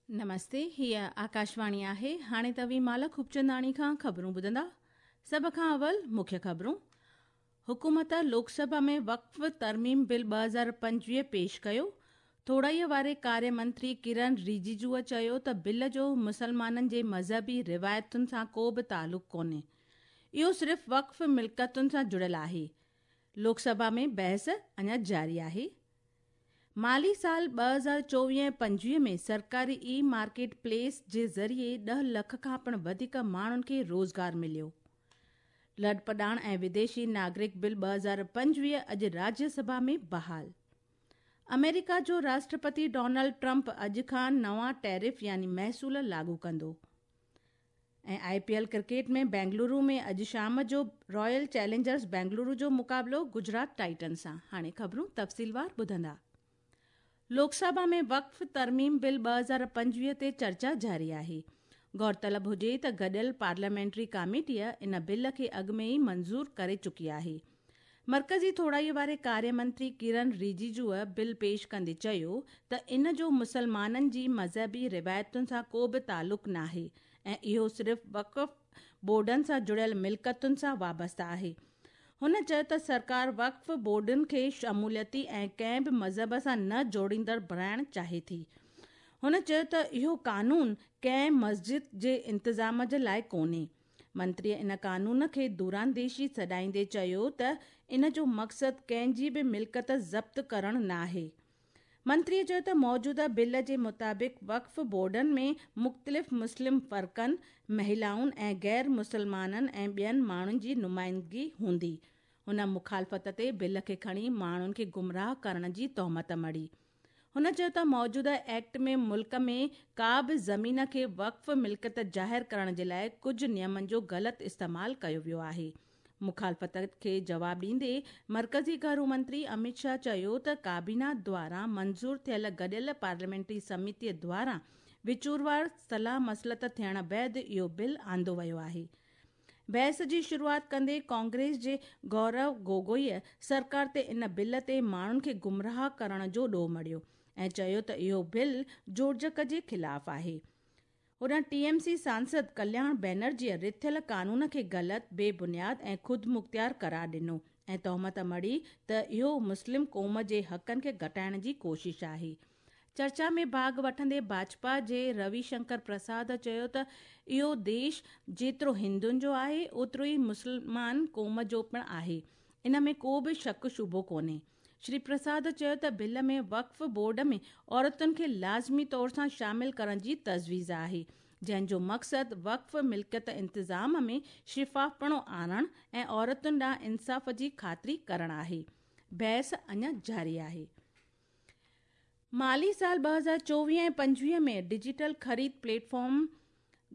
نمستي، هيء آڪاشواڻي آهي. هاڻي توهين مالا خوبچنداڻي کان خبرون ٻڌندا. سڀ کان اول مکيه خبرون. حڪومت لوڪ سڀا ۾ وقف ترميم بل 2025 پيش ڪيو. ٿوڙائيء واري ڪاريه منتري ڪرن رجيجوء چيو ته بل جو مسلمانن جي مذهبي روايتن سان ڪو به تعلق ڪونهي. اهو صرف وقف ملڪيتن سان جڙيل آهي. لوڪ سڀا ۾ بحث اڃا جاري آهي. مالي سال 2024-25 ۾ سرڪاري اي مارڪيٽ پليس جي ذريعي 10 لک کان پڻ وڌيڪ ماڻهن کي روزگار مليو. لڏپلاڻ ۽ وديشي ناگرڪ بل 2025 اڄ راجيه سڀا ۾ بحال. آمريڪا جو راشٽرپتي ڊونلڊ ٽرمپ اڄ کان نوان ٽيرف يعني محصول لاڳو ڪندو. ۽ I P L cricket ۾ Bengaluru ۾ اڄ شام جو رائل چئلينجرز بينگلورو جو مقابلو گجرات ٽائٽنز سان. هاڻي خبرون تفصيلوار ٻڌندا. لوڪ سڀا ۾ وقف ترميم بل 2025 تي چرچا جاري آهي. غور طلب هجي ته گڏيل پارليامينٽري ڪاميٽيء ان بل کي اڳ ۾ ئي منظور ڪري چڪي آهي. مرڪزي ٿوڙائي واري ڪاريه منتري ڪرن رجيجوء بل پيش ڪندي چيو ته ان جو مسلمانن جي مذهبي روايتن سان ڪو به تعلق ناهي ۽ اهو صرف وقف بورڊن سان جڙيل ملڪيتن سان وابسته آهي. هن چيو ته سرڪار وقف بورڊن کي شموليتي ۽ ڪنهن به مذهب سان نه جوڙيندڙ بڻائڻ چاهي ٿي. هن چيو ته اهو قانون ڪنهن مسجد جي انتظام جي لاء ڪونهي. منتريء ان قانون کي دورانديشي سڏائيندي چيو ته ان جو مقصد ڪنهن جي به ملڪيت ضبط ڪرڻ ناهي. منتريء چيو ته موجوده بل جي مطابق وقف بورڊن ۾ مختلف مسلم فرقن، مهلائن ۽ غير مسلمانن ۽ ٻين ماڻهن جي نمائندگي هوندي. هن مخالفت تي بل کي کڻي ماڻهن کي گمراهه ڪرڻ جي تهمت مڙهي. هن چيو ته موجوده ايڪٽ ۾ ملڪ ۾ ڪا به زمين کي وقف ملڪيت ظاهر ڪرڻ جي لاء ڪجهه نيمن جو غلط استعمال ڪيو ويو آهي. مخالفت کي جواب ڏيندي مرڪزي گهرو منتري اميت شاهه چيو ته ڪابينا دواران منظور ٿيل گڏيل پارليامينٽري سميتي دواران وچوروار صلاح مصلحت ٿيڻ بعد اهو بل آندو ويو آهي. بحث جي شروعات ڪندي ڪانگريس جي گورو گوگوئي سرڪار تي ان بل تي ماڻهن کي گمراهه ڪرڻ جو ڏوهه مڙهيو ۽ چيو ته اهو بل جوڙجڪ جي خلاف آهي. هوڏانهن ٽي ايم سي سانسد ڪلياڻ بينرجيء رٿيل قانون کي غلط، بي بنياد ۽ خودمختيار قرار ڏنو ۽ تهمت مڙهي ته اهو مسلم قوم جي حقن کي گهٽائڻ جي ڪوشش آهي. چرچا ۾ ڀاڳ وٺندي ڀاجپا جي روي شنڪر پرساد چيو ته اهو ديش جيترو هندن جو آهي اوترو ئي مسلمان قوم جو پڻ آهي، ان ۾ ڪو به شڪ شبهو ڪونهي. شري پرساد چيو ته بل ۾ وقف بورڊ ۾ عورتن کي لازمي طور سان شامل ڪرڻ جي تجويز آهي، جنهن جو مقصد وقف ملڪيت انتظام ۾ شفافپڻو آڻڻ ۽ عورتن ڏانهن انصاف جي خاطري ڪرڻ آهي. بحث اڃا جاري آهي. مالي سال 2024 ۽ 25 ۾ ڊجيٽل خريد platform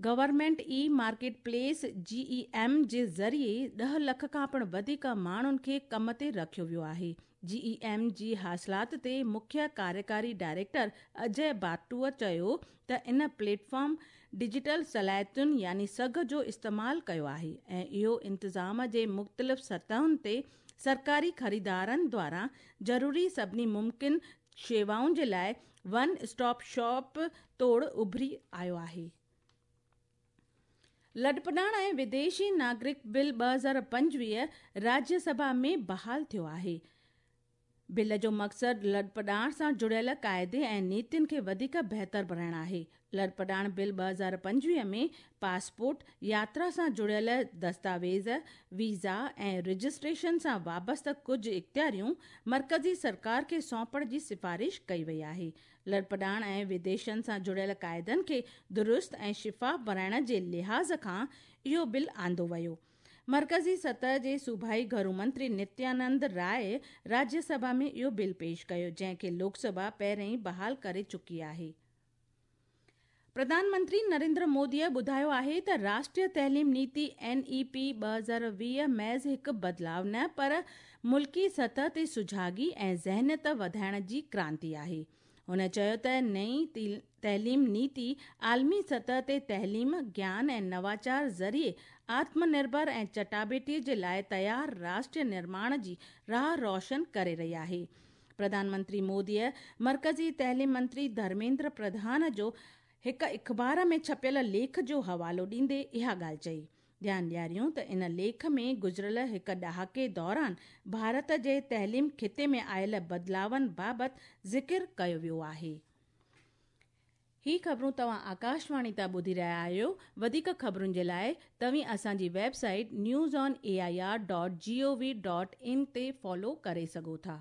government e market place, G E M, جي ذريعي 10 لک کان پڻ وڌيڪ ماڻهن کي ڪم تي رکيو ويو آهي. جي اي ايم جي حاصلات تي مکيه ڪاريڪاري ڊائريڪٽر اجي باتوء چيو ته ان پليٽ فارم ڊجيٽل صلاحيتن يعني سگهه جو استعمال ڪيو آهي ۽ اهو انتظام جي مختلف سطحن تي سرڪاري خريدارن دواران ضروري سڀني ممڪن شيوائن جي لاء ون اسٽاپ شاپ طور اڀري آيو آهي. لڏپلاڻ ۽ وديشي ناگرڪ بل 2025 راجيه سڀا ۾ بحال ٿيو آهي. بل جو مقصد لڏپلاڻ سان جڙيل قاعدي ۽ نيتين کي وڌيڪ بهتر بڻائڻ آهي. لڏپلاڻ بل 2025 ۾ پاسپورٽ، ياترا سان جڙيل دستاويز، ويزا ۽ رجسٽريشن سان وابسته ڪجهه اختياريون مرڪزي سرڪار کي سونپڻ جي سفارش ڪئي وئي آهي. لڏپلاڻ ۽ وديشن سان جڙيل قاعدن کي درست ۽ شفاف بڻائڻ جي لحاظ کان اهو بل آندو ويو. مرڪزي سطح جي صوبائي گهرو منتري نتيانند راء راجيه سڀا ۾ اهو بل پيش ڪيو، جنهن کي لوڪ سڀا پهرين ئي بحال ڪري چڪي آهي. پرڌان منتري نريندر موديء ٻڌايو آهي ته راشٽريه تعليم نيتي، اين اي پي، 2020 محض هڪ بدلاء نه پر ملڪي سطح تي سجاڳي ۽ ذهنيت وڌائڻ جي ڪرانتي آهي. هن چيو ته نئين تعليم نيتي عالمي سطح تي تعليم، گيان ۽ نواچار ذريعي آتم نرڀر ۽ چٽاڀيٽي جي لاء تيار راشٽريه نرماڻ جي راهه روشن ڪري رهي آهي. پرڌان منتري موديء مرڪزي تعليم منتري ڌرميندر پرڌان جو هڪ اخبار ۾ ڇپيل ليک جو حوالو ڏيندي اها ڳالهه چئي. ڌيان ڏياريون ته ان ليک ۾ گذريل هڪ ڏهاڪي دوران ڀارت جي تعليم خطي ۾ آيل بدلاون بابت ذڪر ڪيو ويو آهي. هي خبرون توهان آڪاشواڻي تان ٻڌي رهيا آهيو. وڌيڪ خبرن جي لاء توهين اسان جي website news on A I R dot G O V dot in تي فالو ڪري سگهو ٿا.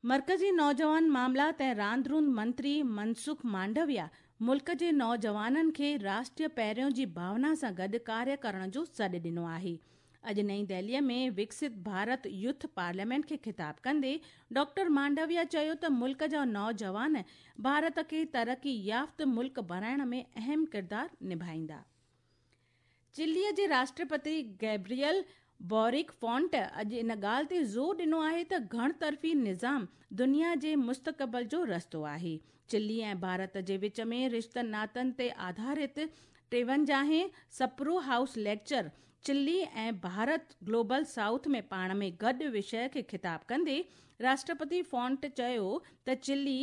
مرڪزي نوجوان معاملات ۽ راند روند منتري منسک مانڊويا ملڪ جي نوجوانن کي راشٽريه پهريون جي ڀاونا سان گڏ ڪاريه ڪرڻ جو سڏ ڏنو آهي. اڄ نئين دهليء ۾ وڪست ڀارت يوٿ پارليامينٽ کي خطاب ڪندي ڊاڪٽر مانڊويا چيو ته ملڪ جا نوجوان ڀارت کي ترقي يافته ملڪ بڻائڻ ۾ اهم ڪردار نڀائيندا. چليء جي راشٽرپتي گيبريل بورڪ فونٽ اڄ ان ڳالهه تي زور ڏنو آهي ته گهڻ طرفي نظام دنيا جي مستقبل جو رستو آهي. چلي ۽ ڀارت جي وچ ۾ رشتن ناتن تي آڌارت ٽيونجاهين Sapru house lecture Chile ۽ Bharat global south ۾ پاڻ ۾ گڏ وشيه کي خطاب ڪندي راشٽرپتي فونٽ چيو ته چلي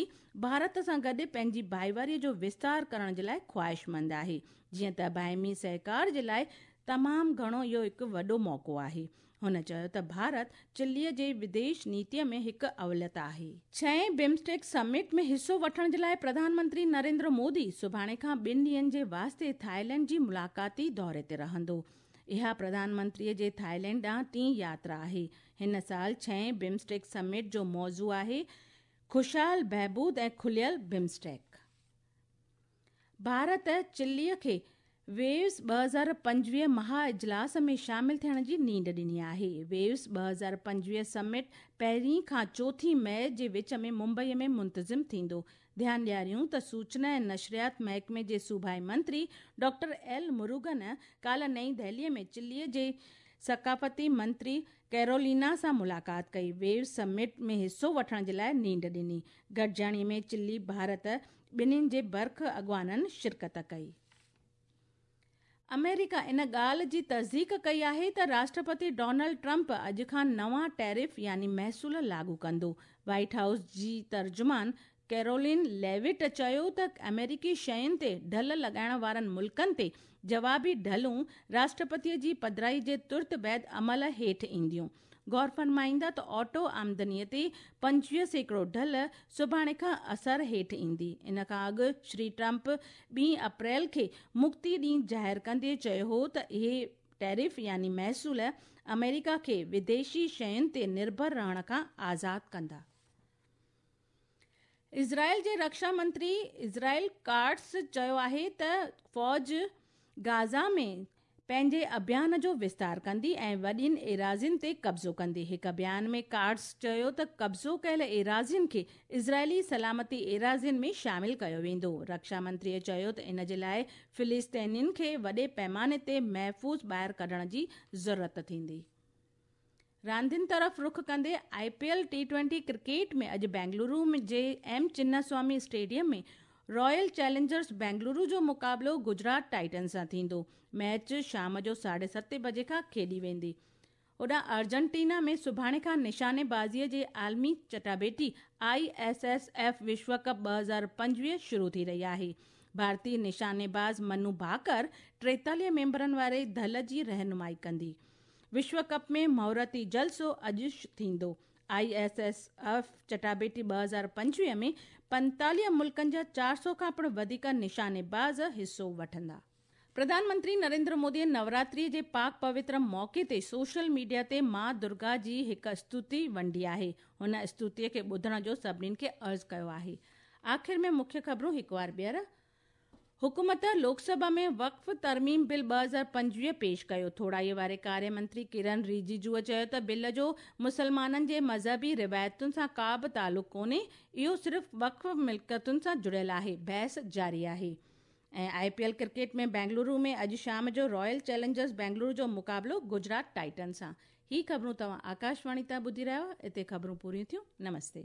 ڀارت سان گڏ پنهنجي ڀائيواري جو وستار ڪرڻ جي لاء خواهشمند آهي جيئن ته باهمي سهڪار جي لاء تمام گهڻو اهو هڪ وڏو موقعو آهي. هن چيو ته ڀارت چلي جي وديش نيتي ۾ هڪ اوليت آهي. ڇهين بمسٽيڪ سمٽ ۾ حصو وٺڻ جي لاء پرڌان منتري نريندر مودي سڀاڻي کان ٻن ڏينهن جي واسطي ٿائيلينڊ جي ملاقاتي دوري تي رهندو. اها پرڌان منتري جي ٿائيلينڊ ڏانهن ٽين ياترا آهي. هن سال ڇهين بمسٽيڪ سمٽ جو موضوع آهي خوشحال، بهبود ۽ کليل بمسٽيڪ. ڀارت چلي کي ويوز 2025 مها اجلاس ۾ شامل ٿيڻ جي نينڍ ڏني آهي. ويوز 2025 سمٽ پهرين کان چوٿين مئي جي وچ ۾ ممبئي ۾ منتظم ٿيندو. ڌيان ڏياريون ته سوچنا ۽ نشريات محڪمي جي صوبائي منتري ڊاڪٽر ايل مروگن ڪالهه نئين دهلي ۾ چلي جي ثقافتي منتري ڪيرولينا سان ملاقات ڪئي. ويوز سمٽ ۾ حصو وٺڻ جي لاء نينڍ ڏني. گڏجاڻي ۾ چلي ڀارت ٻنهين جي برک اڳواڻن شرڪت ڪئي. آمريڪا ان ڳالهه جي تصديق ڪئي آهي ته راشٽرپتي ڊونلڊ ٽرمپ اڄ کان نوان ٽيرف يعني محصول لاڳو ڪندو. وائيٽ هائوس جي ترجمان ڪيرولين ليوٽ چيو ته آمريڪي شين تي ڍل لڳائڻ وارن ملڪن تي جوابي ڍلون راشٽرپتي جي پڌرائي جي ترت بعد عمل هيٺ اينديون. غور فرمائيندا ته آٽو آمدني تي 25% ڍل سڀاڻي کان اثر هيٺ ايندي. ان کان اڳ شري ٽرمپ ٻين اپريل کي مڪتي ڏينهن ظاهر ڪندي چيو هو ته اهي ٽيرف يعني محصول آمريڪا کي وديشي شين تي نرڀر رهڻ کان آزاد ڪندا. اسرائيل جي رڪشا منتري اسرائيل ڪاٽز چيو آهي ته فوج گازا ۾ پنهنجي اڀيان جو وستار ڪندي ۽ وڏين ايراضين تي قبضو ڪندي. هڪ بيان ۾ ڪاٽز چيو ته قبضو ڪيل ايراضين کي اسرائيلي سلامتي ايراضين ۾ شامل ڪيو ويندو. رڪشا منتري چيو ته ان جي لاء فلسطينين کي وڏي پيماني تي محفوظ ٻاهر ڪڍڻ جي ضرورت ٿيندي. راندين طرف رخ ڪندي I P L T twenty cricket ۾ اڄ بينگلورو جي M Chinnaswamy stadium ۾ Royal Challengers Bengaluru جو مقابلو گجرات ٽائٽنز سان ٿيندو. ميچ شام جو ساڍي ستين بجي کان کيڏي ويندي. هوڏانهن ارجنٽينا ۾ سڀاڻي کان نشاني بازي جي عالمي چٽاڀيٽي I S S F وشو ڪپ 2025 شروع ٿي رهي آهي. ڀارتي نشاني باز منو ڀاڪر 43 ميمبرن واري ڌل جي رهنمائي ڪندي. وشو ڪپ ۾ مهورتي جلسو اڄ ٿيندو. I S S F چٽاڀيٽي 2025 ۾ 45 ملڪن جا 400 کان پڻ وڌيڪ نشاني باز حصو وٺندا. پرڌان منتري نريندر مودي نوراتري جي پاڪ پوتر موقعي تي سوشل ميڊيا تي مان درگا جي هڪ استوتي ونڊي آهي. هن استوتي کي ٻڌڻ جو سڀني کي عرض ڪيو آهي. آخر ۾ مکيه خبرون هڪ وار ٻيهر. حڪومت لوڪ سڀا ۾ وقف ترميم بل 2025 پيش ڪيو. ٿوڙائي واري ڪاريه منتري ڪرن رجيجوء چيو ته بل جو مسلمانن جي مذهبي روايتن سان ڪا به تعلق ڪونهي، اهو صرف وقف ملڪيتن سان جڙيل آهي، بحث جاري آهي. ۽ I P L cricket ۾ Bengaluru ۾ اڄ شام جو رائل چئلينجرز بينگلورو جو مقابلو گجرات ٽائٽنز سان. هي خبرون توهان آڪاشواڻي تان ٻڌي رهيا هئا، اتي خبرون پوريون ٿيون. نمستي.